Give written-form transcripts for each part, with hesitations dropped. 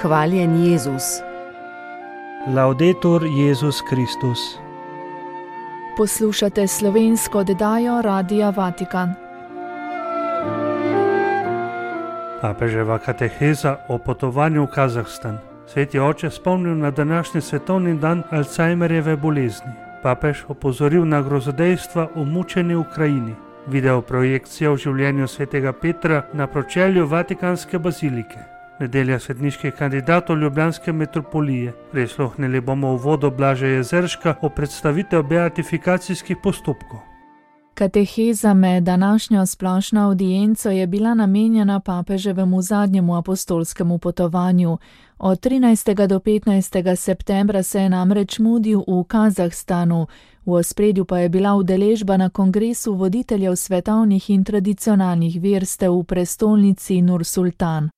Hvaljen Jezus. Laudetur Jezus Kristus. Poslušate slovensko oddajo Radia Vatikan. Papeževa kateheza o potovanju v Kazahstan. Sveti oče spomnil na današnji svetovni dan Alzheimerjeve bolezni. Papež opozoril na grozodejstva v mučeni Ukrajini. Video projekcija o življenju svetega Petra na pročelju Vatikanske bazilike. Nedelja svetniških kandidatov ljubljanske metropolije. Prisluhnili bomo uvodu Blaža Jezerška o predstavitev beatifikacijskih postopkov. Kateheza med današnjo splošno avdienco je bila namenjena papeževemu zadnjemu apostolskemu potovanju. Od 13. do 15. septembra se je namreč mudil v Kazahstanu, v ospredju pa je bila udeležba na kongresu voditeljev svetovnih in tradicionalnih verstev v prestolnici Nur-Sultan.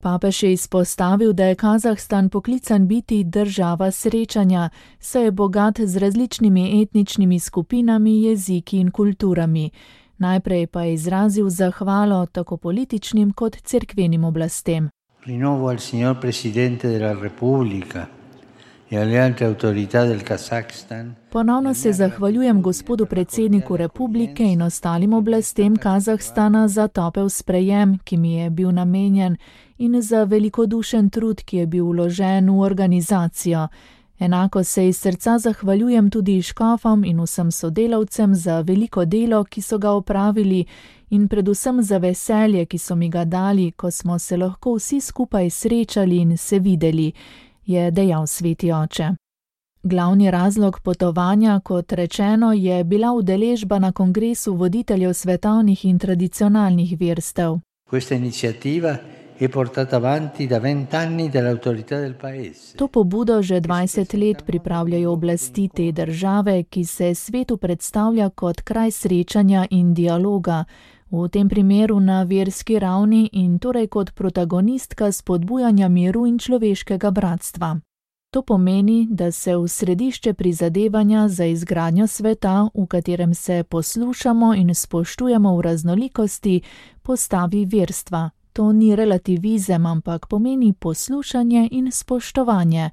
Papež je izpostavil, da je Kazahstan poklican biti država srečanja, saj je bogat z različnimi etničnimi skupinami, jeziki in kulturami. Najprej pa je izrazil zahvalo tako političnim kot cerkvenim oblastem. Rinnovo al signor presidente della Repubblica e alle altre autorità del Kazahstan. Ponovno se zahvaljujem gospodu predsedniku republike in ostalim oblastem Kazahstana za topel sprejem, ki mi je bil namenjen, in za velikodušen trud, ki je bil vložen v organizacijo. Enako se iz srca zahvaljujem tudi škofom in vsem sodelavcem za veliko delo, ki so ga opravili, in predvsem za veselje, ki so mi ga dali, ko smo se lahko vsi skupaj srečali in se videli, je dejal sveti oče. Glavni razlog potovanja, kot rečeno, je bila udeležba na kongresu voditeljev svetovnih in tradicionalnih verstev. Questa iniziativa è portata avanti da 20 anni dall'autorità del paese. To pobudo že 20 let pripravljajo oblasti te države, ki se svetu predstavlja kot kraj srečanja in dialoga, v tem primeru na verski ravni in torej kot protagonistka spodbujanja miru in človeškega bratstva. To pomeni, da se v središče prizadevanja za izgradnjo sveta, v katerem se poslušamo in spoštujemo v raznolikosti, postavi verstva. To ni relativizem, ampak pomeni poslušanje in spoštovanje,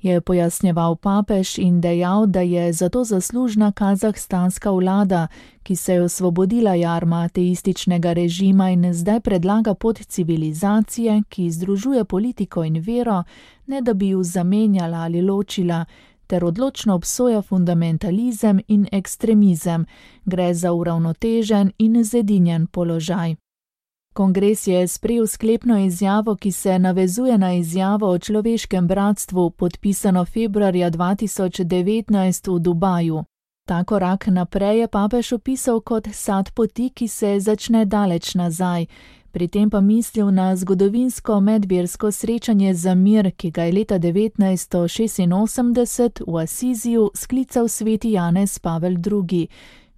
je pojasnjeval papež in dejal, da je zato zaslužna kazahstanska vlada, ki se je osvobodila jarma ateističnega režima in zdaj predlaga pot civilizacije, ki združuje politiko in vero, ne da bi ju zamenjala ali ločila, ter odločno obsoja fundamentalizem in ekstremizem. Gre za uravnotežen in zedinjen položaj. Kongres je sprejel sklepno izjavo, ki se navezuje na izjavo o človeškem bratstvu, podpisano februarja 2019 v Dubaju. Ta korak naprej je papež opisal kot sad poti, ki se začne daleč nazaj. Pri tem pa mislil na zgodovinsko medversko srečanje za mir, ki ga je leta 1986 v Asiziju sklical sveti Janez Pavel II.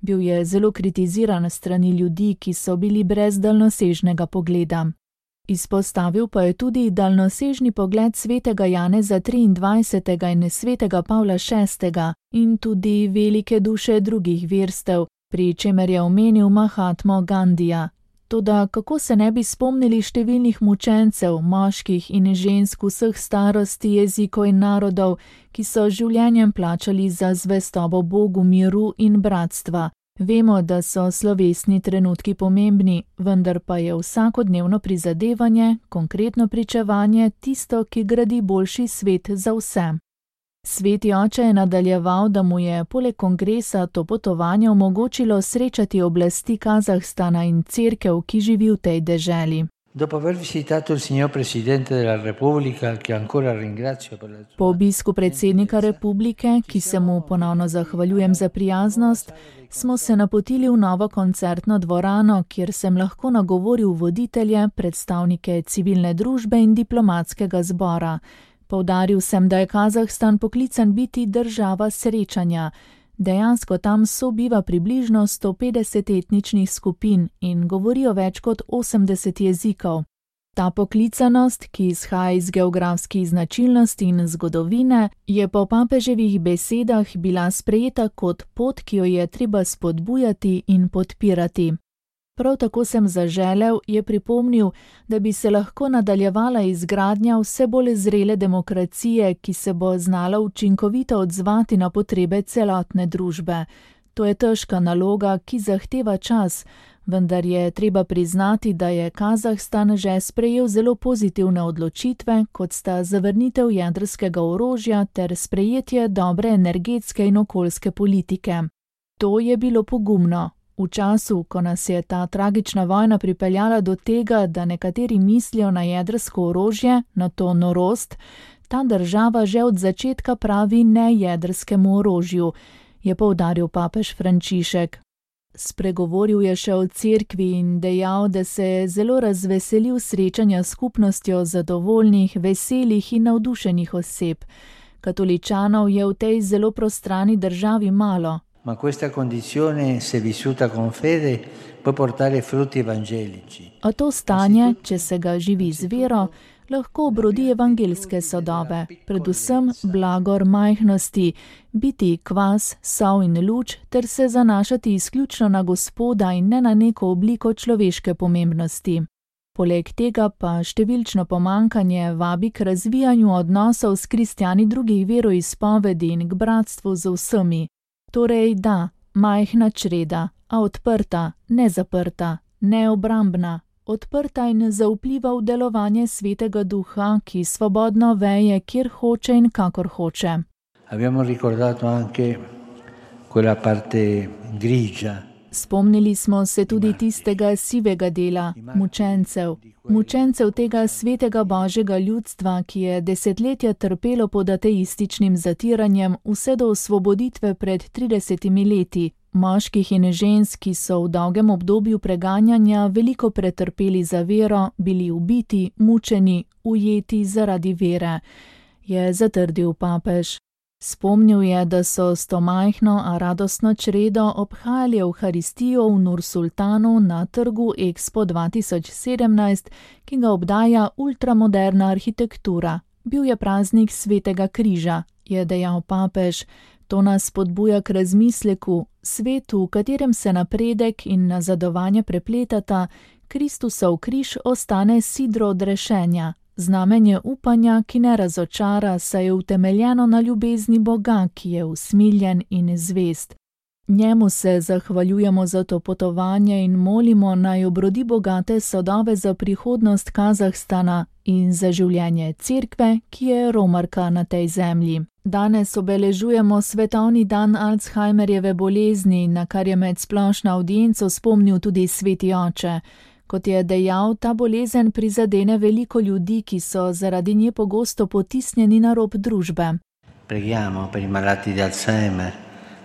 Bil je zelo kritiziran strani ljudi, ki so bili brez daljnosežnega pogleda. Izpostavil pa je tudi daljnosežni pogled svetega Janeza XXIII. In svetega Pavla VI. In tudi velike duše drugih verstev, pri čemer je omenil Mahatmo Gandija. Toda kako se ne bi spomnili številnih mučencev, moških in žensk vseh starosti, jezikov in narodov, ki so življenjem plačali za zvestobo Bogu, miru in bratstva. Vemo, da so slovesni trenutki pomembni, vendar pa je vsakodnevno prizadevanje, konkretno pričevanje tisto, ki gradi boljši svet za vse. Sveti oče je nadaljeval, da mu je poleg kongresa to potovanje omogočilo srečati oblasti Kazahstana in cerkev, ki živi v tej deželi. Po obisku predsednika republike, ki se mu ponovno zahvaljujem za prijaznost, smo se napotili v novo koncertno dvorano, kjer sem lahko nagovoril voditelje, predstavnike civilne družbe in diplomatskega zbora. Poudaril sem, da je Kazahstan poklican biti država srečanja. Dejansko tam sobiva približno 150 etničnih skupin in govorijo več kot 80 jezikov. Ta poklicanost, ki izhaja iz geografskih značilnosti in zgodovine, je po papeževih besedah bila sprejeta kot pot, ki jo je treba spodbujati in podpirati. Prav tako sem zaželel, je pripomnil, da bi se lahko nadaljevala izgradnja vse bolj zrele demokracije, ki se bo znala učinkovito odzvati na potrebe celotne družbe. To je težka naloga, ki zahteva čas, vendar je treba priznati, da je Kazahstan že sprejel zelo pozitivne odločitve, kot sta zavrnitev jedrskega orožja ter sprejetje dobre energetske in okoljske politike. To je bilo pogumno. V času, ko nas je ta tragična vojna pripeljala do tega, da nekateri mislijo na jedrsko orožje, na to norost, ta država že od začetka pravi ne jedrskemu orožju, je poudaril papež Frančišek. Spregovoril je še o cerkvi in dejal, da se je zelo razveselil srečanja s skupnostjo zadovoljnih, veselih in navdušenih oseb. Katoličanov je v tej zelo prostrani državi malo. Ma questa condizione, se vissuta con fede, può portare frutti evangelici. A to stanje, če se ga živi z vero, lahko obrodi evangeljske sadove, predvsem blagor majhnosti, biti kvas, sol in luč ter se zanašati izključno na Gospoda in ne na neko obliko človeške pomembnosti. Poleg tega pa številčno pomankanje vabi k razvijanju odnosov s kristjani drugih veroizpovedi in k bratstvu z vsemi. Torej da, majhna čreda, a odprta, ne zaprta, neobrambna, odprta in zaupliva v delovanje Svetega Duha, ki svobodno veje, kjer hoče in kakor hoče. Abbiamo ricordato anche quella parte grigia. Spomnili smo se tudi tistega sivega dela, mučencev tega svetega božjega ljudstva, ki je desetletja trpelo pod ateističnim zatiranjem vse do osvoboditve pred 30 leti, moških in žensk, ki so v dolgem obdobju preganjanja veliko pretrpeli za vero, bili ubiti, mučeni, ujeti zaradi vere, je zatrdil papež. Spomnil je, da so s to majhno, a radostno čredo obhajali Evharistijo v Nursultanu na trgu Expo 2017, ki ga obdaja ultramoderna arhitektura. Bil je praznik Svetega križa, je dejal papež. To nas spodbuja k razmisleku, svetu, v katerem se napredek in nazadovanje prepletata, Kristusov križ ostane sidro odrešenja. Znamenje upanja, ki ne razočara, saj je utemeljeno na ljubezni Boga, ki je usmiljen in zvest. Njemu se zahvaljujemo za to potovanje in molimo, naj obrodi bogate sadove za prihodnost Kazahstana in za življenje cerkve, ki je romarka na tej zemlji. Danes obeležujemo svetovni dan Alzheimerjeve bolezni, na kar je med splošno avdienco spomnil tudi sveti oče. Kot je dejal, ta bolezen prizadene veliko ljudi, ki so zaradi nje pogosto potisnjeni na rob družbe. Preghiamo per i malati di Alzheimer,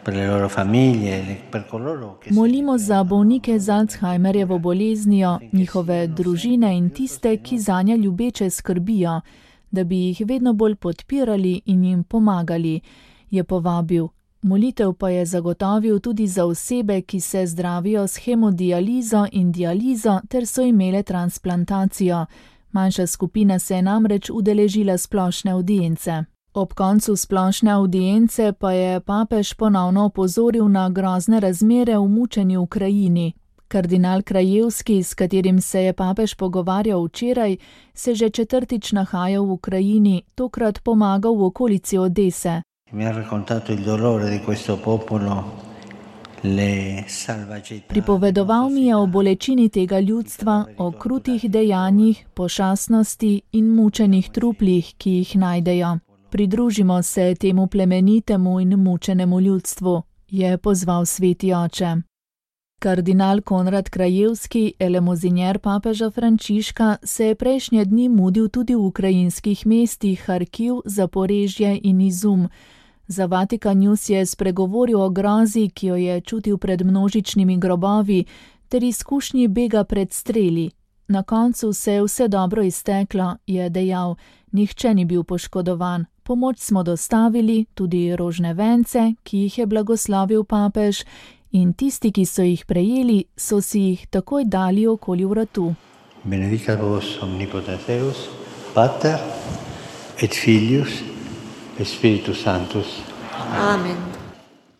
per le loro famiglie, per coloro che... Molimo za bolnike z Alzheimerjevo boleznijo, njihove družine in tiste, ki zanje ljubeče skrbijo, da bi jih vedno bolj podpirali in jim pomagali, je povabil. Molitev pa je zagotovil tudi za osebe, ki se zdravijo s hemodializo in dializo ter so imele transplantacijo. Manjša skupina se je namreč udeležila splošne avdience. Ob koncu splošne avdience pa je papež ponovno opozoril na grozne razmere v mučeni Ukrajini. Kardinal Krajevski, s katerim se je papež pogovarjal včeraj, se že četrtič nahaja v Ukrajini, tokrat pomagal v okolici Odese. Mi ha raccontato il dolore di questo popolo, le salvagità. Pripovedoval mi je o bolečini tega ljudstva, o krutih dejanjih, pošastnosti in mučenih truplih, ki jih najdejo. Pridružimo se temu plemenitemu in mučenemu ljudstvu, je pozval sveti oče. Kardinal Konrad Krajevski, elemozinjer papeža Frančiška, se je prejšnje dni mudil tudi v ukrajinskih mestih Harkiv, Zaporežje in Izum. Za Vatikan News je spregovoril o grozi, ki jo je čutil pred množičnimi grobovi, ter izkušnji bega pred streli. Na koncu se je vse dobro izteklo, je dejal, nihče ni bil poškodovan. Pomoč smo dostavili, tudi rožne vence, ki jih je blagoslovil papež, in tisti, ki so jih prejeli, so si jih takoj dali okoli vratu. Benedicat vos omnipotens Deus, Pater et Filius et Spiritus Sanctus. Amen.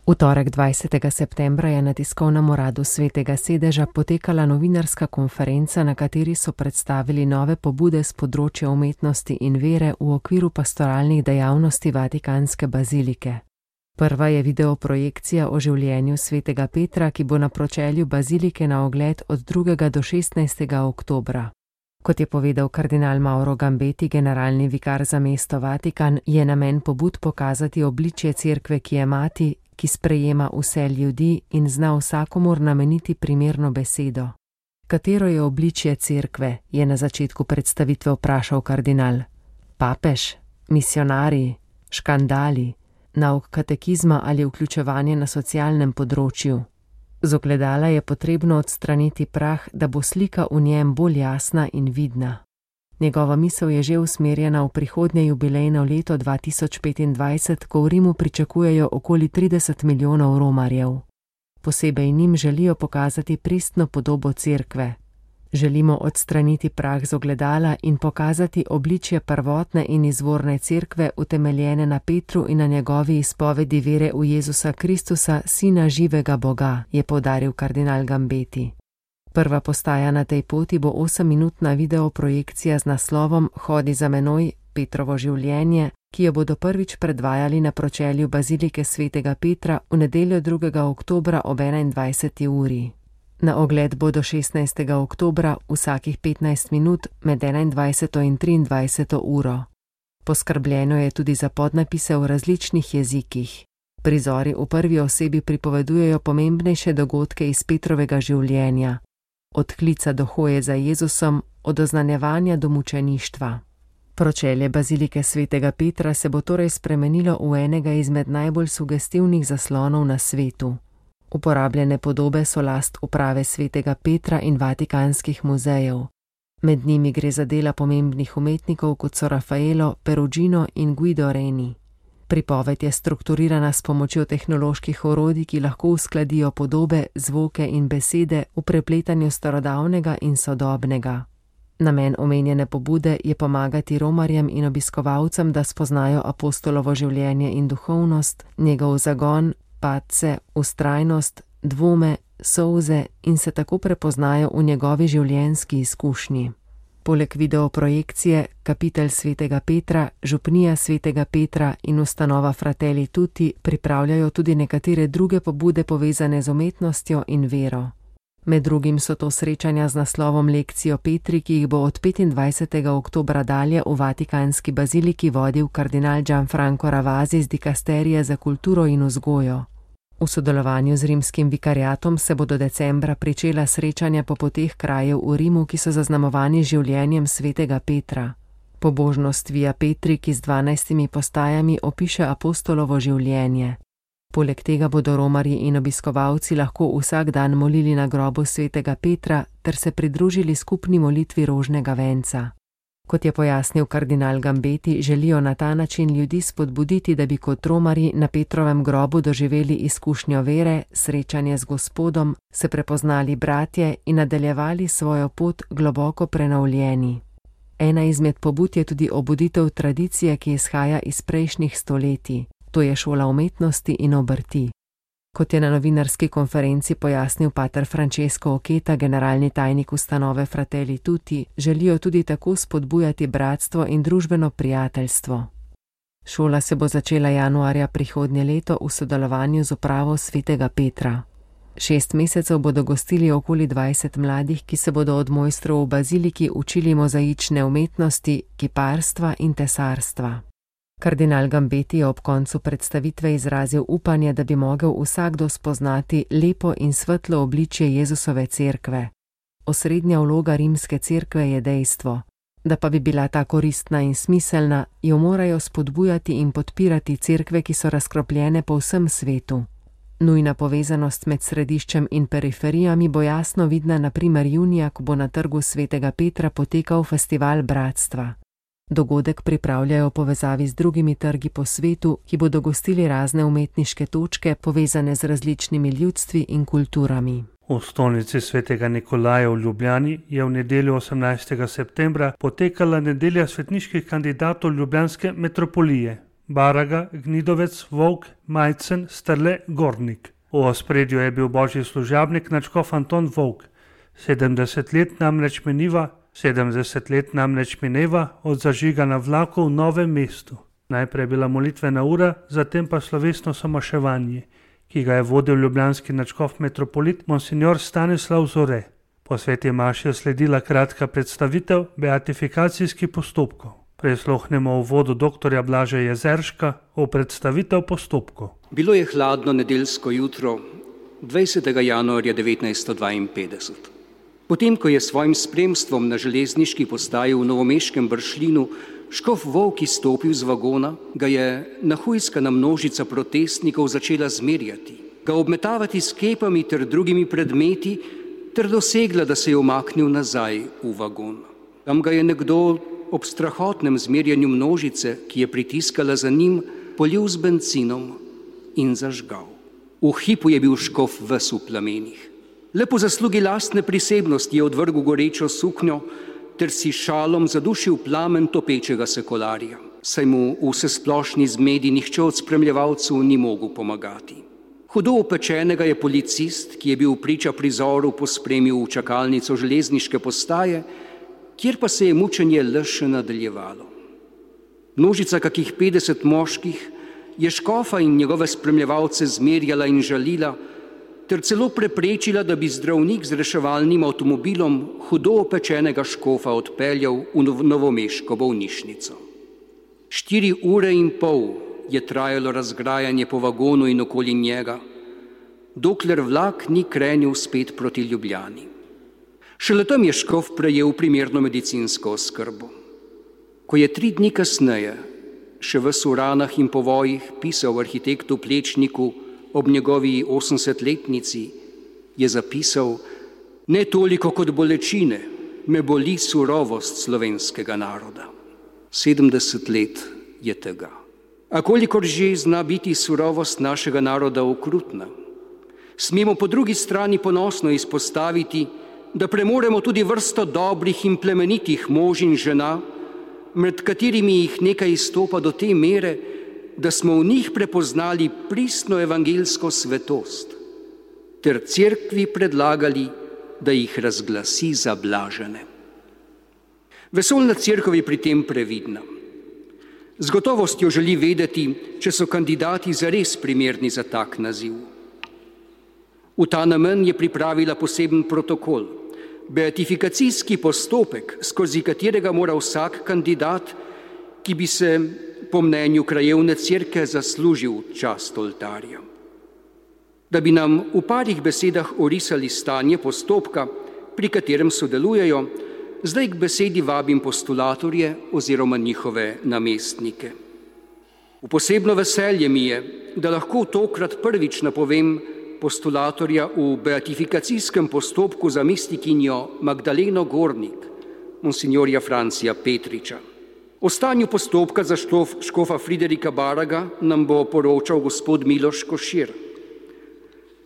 V torek 20. septembra je na tiskovnem uradu Svetega sedeža potekala novinarska konferenca, na kateri so predstavili nove pobude s področja umetnosti in vere v okviru pastoralnih dejavnosti Vatikanske bazilike. Prva je videoprojekcija o življenju svetega Petra, ki bo na pročelju bazilike na ogled od 2. do 16. oktobra. Kot je povedal kardinal Mauro Gambeti, generalni vikar za mesto Vatikan, je namen pobud pokazati obličje cerkve, ki je mati, ki sprejema vse ljudi in zna vsakomur nameniti primerno besedo. Katero je obličje cerkve, je na začetku predstavitve vprašal kardinal. Papež, misionarji, škandali, nauk katekizma ali vključevanje na socialnem področju. Z ogledala je potrebno odstraniti prah, da bo slika v njem bolj jasna in vidna. Njegova misel je že usmerjena v prihodnje jubilejno leto 2025, ko v Rimu pričakujejo okoli 30 milijonov romarjev. Posebej njim želijo pokazati pristno podobo cerkve. Želimo odstraniti prah z ogledala in pokazati obličje prvotne in izvorne cerkve, utemeljene na Petru in na njegovi izpovedi vere v Jezusa Kristusa, Sina živega Boga, je poudaril kardinal Gambeti. Prva postaja na tej poti bo 8-minutna videoprojekcija z naslovom Hodi za menoj, Petrovo življenje, ki jo bodo prvič predvajali na pročelju bazilike svetega Petra v nedeljo 2. oktobra ob 21. uri. Na ogled bodo 16. oktobra vsakih 15 minut med 21. in 23. uro. Poskrbljeno je tudi za podnapise v različnih jezikih. Prizori v prvi osebi pripovedujejo pomembnejše dogodke iz Petrovega življenja. Od klica do hoje za Jezusom, od oznanjevanja do mučeništva. Pročelje bazilike svetega Petra se bo torej spremenilo v enega izmed najbolj sugestivnih zaslonov na svetu. Uporabljene podobe so last uprave svetega Petra in vatikanskih muzejev. Med njimi gre za dela pomembnih umetnikov, kot so Raffaello, Perugino in Guido Reni. Pripoved je strukturirana s pomočjo tehnoloških orodij, ki lahko uskladijo podobe, zvoke in besede v prepletanju starodavnega in sodobnega. Namen omenjene pobude je pomagati romarjem in obiskovalcem, da spoznajo apostolovo življenje in duhovnost, njegov zagon, padce, vztrajnost, dvome, solze in se tako prepoznajo v njegovi življenjski izkušnji. Poleg videoprojekcije, kapitelj svetega Petra, župnija svetega Petra in ustanova Fratelli Tutti pripravljajo tudi nekatere druge pobude povezane z umetnostjo in vero. Med drugim so to srečanja z naslovom Lekcijo Petri, ki jih bo od 25. oktobra dalje v Vatikanski baziliki vodil kardinal Gianfranco Ravasi z dikasterija za kulturo in vzgojo. V sodelovanju z rimskim vikariatom se bodo decembra pričela srečanja po poteh krajev v Rimu, ki so zaznamovani življenjem svetega Petra. Pobožnost Via Petri, ki z 12 postajami opiše apostolovo življenje. Poleg tega bodo romarji in obiskovalci lahko vsak dan molili na grobu svetega Petra ter se pridružili skupni molitvi rožnega venca. Kot je pojasnil kardinal Gambeti, želijo na ta način ljudi spodbuditi, da bi kot romarji na Petrovem grobu doživeli izkušnjo vere, srečanje z Gospodom, se prepoznali bratje in nadaljevali svojo pot globoko prenovljeni. Ena izmed pobud je tudi obuditev tradicije, ki izhaja iz prejšnjih stoletij. To je šola umetnosti in obrti. Kot je na novinarski konferenci pojasnil pater Francesco Oketa, generalni tajnik ustanove Fratelli Tutti, želijo tudi tako spodbujati bratstvo in družbeno prijateljstvo. Šola se bo začela januarja prihodnje leto v sodelovanju z upravo svetega Petra. 6 mesecev bodo gostili okoli 20 mladih, ki se bodo od mojstrov v baziliki učili mozaične umetnosti, kiparstva in tesarstva. Kardinal Gambeti je ob koncu predstavitve izrazil upanje, da bi mogel vsakdo spoznati lepo in svetlo obličje Jezusove cerkve. Osrednja vloga rimske cerkve je dejstvo. Da pa bi bila ta koristna in smiselna, jo morajo spodbujati in podpirati cerkve, ki so razkropljene po vsem svetu. Nujna povezanost med središčem in periferijami bo jasno vidna na primer junija, ko bo na trgu svetega Petra potekal festival bratstva. Dogodek pripravljajo v povezavi z drugimi trgi po svetu, ki bodo gostili razne umetniške točke povezane z različnimi ljudstvi in kulturami. V stolnici svetega Nikolaja v Ljubljani je v nedeljo 18. septembra potekala nedelja svetniških kandidatov ljubljanske metropolije. Baraga, Gnidovec, Volk, Majcen, Strle, Gornik. V ospredju je bil božji služabnik nadškof Anton Volk. 70 let namreč mineva od zažiga na vlaku v Novem mestu. Najprej je bila molitvena ura, zatem pa slovesno samaševanje, ki ga je vodil ljubljanski nadškof metropolit monsignor Stanislav Zore. Po sveti maši je sledila kratka predstavitev beatifikacijskih postopkov. Prisluhnemo uvodu doktorja Blaža Jezerška v predstavitev postopkov. Bilo je hladno nedeljsko jutro 20. januarja 1952. Potem, ko je s svojim spremstvom na železniški postaji v novomeškem Bršljinu škof Volk izstopil z vagona, ga je nahujskana množica protestnikov začela zmerjati, ga obmetavati s kepami ter drugimi predmeti, ter dosegla, da se je umaknil nazaj v vagon. Tam ga je nekdo ob strahotnem zmerjanju množice, ki je pritiskala za njim, polil z bencinom in zažgal. V hipu je bil škof ves v plamenih. Le po zaslugi lastne prisebnosti je odvrgel gorečo suknjo ter si šalom zadušil plamen topečega se kolarja, saj mu v vsesplošni zmedi nihče od spremljevalcev ni mogel pomagati. Hudo opečenega je policist, ki je bil priča prizoru, pospremil v čakalnico železniške postaje, kjer pa se je mučenje le še nadaljevalo. Množica kakih 50 moških je škofa in njegove spremljevalce zmerjala in žalila, ter celo preprečila, da bi zdravnik z reševalnim avtomobilom hudo opečenega škofa odpeljal v novomeško bolnišnico. 4,5 ure je trajalo razgrajanje po vagonu in okoli njega, dokler vlak ni krenil spet proti Ljubljani. Šele tam je škof prejel primerno medicinsko oskrbo. Ko je 3 dni kasneje, še ves v ranah in povojih, pisal arhitektu Plečniku ob njegovi 80-letnici, je zapisal: ne toliko kot bolečine, me boli surovost slovenskega naroda. 70 let je tega. A kolikor že zna biti surovost našega naroda okrutna, smemo po drugi strani ponosno izpostaviti, da premoremo tudi vrsto dobrih in plemenitih mož in žena, med katerimi jih nekaj izstopa do te mere, da smo v njih prepoznali pristno evangelsko svetost, ter cerkvi predlagali, da jih razglasi za blažene. Vesoljna cerkev je pri tem previdna. Z gotovostjo želi vedeti, če so kandidati zares primerni za tak naziv. V ta namen je pripravila poseben protokol, beatifikacijski postopek, skozi katerega mora vsak kandidat, ki bi se po mnenju krajevne cerkve zaslužil čast oltarja. Da bi nam v parih besedah orisali stanje postopka, pri katerem sodelujejo, zdaj k besedi vabim postulatorje oziroma njihove namestnike. V posebno veselje mi je, da lahko tokrat prvič napovem postulatorja v beatifikacijskem postopku za mistikinjo Magdaleno Gornik, monsignorja Francija Petriča. O stanju postopka za škofa Friderika Baraga nam bo poročal gospod Miloš Košir.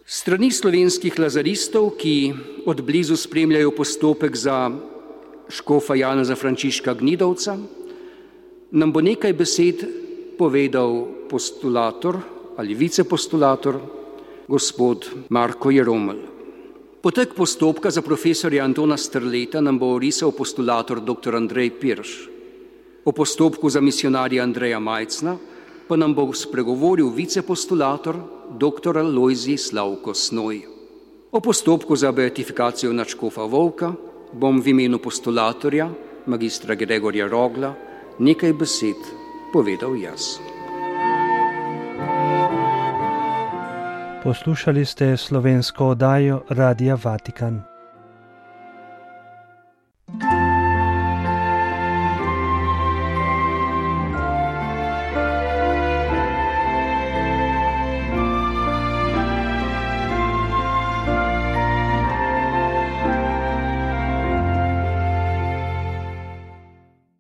Strani slovenskih lazaristov, ki od blizu spremljajo postopek za škofa Janeza Frančiška Gnidovca, nam bo nekaj besed povedal postulator ali vicepostulator gospod Marko Jeromelj. Potek postopka za profesorja Antona Strleta nam bo orisal postulator dr. Andrej Pirš. O postopku za misijonarja Andreja Majcna pa nam bo spregovoril vicepostulator dr. Lojzij Slavko Snoj. O postopku za beatifikacijo nadškofa Volka bom v imenu postulatorja, magistra Gregorja Rogla, nekaj besed povedal jaz. Poslušali ste slovensko oddajo Radia Vatikan.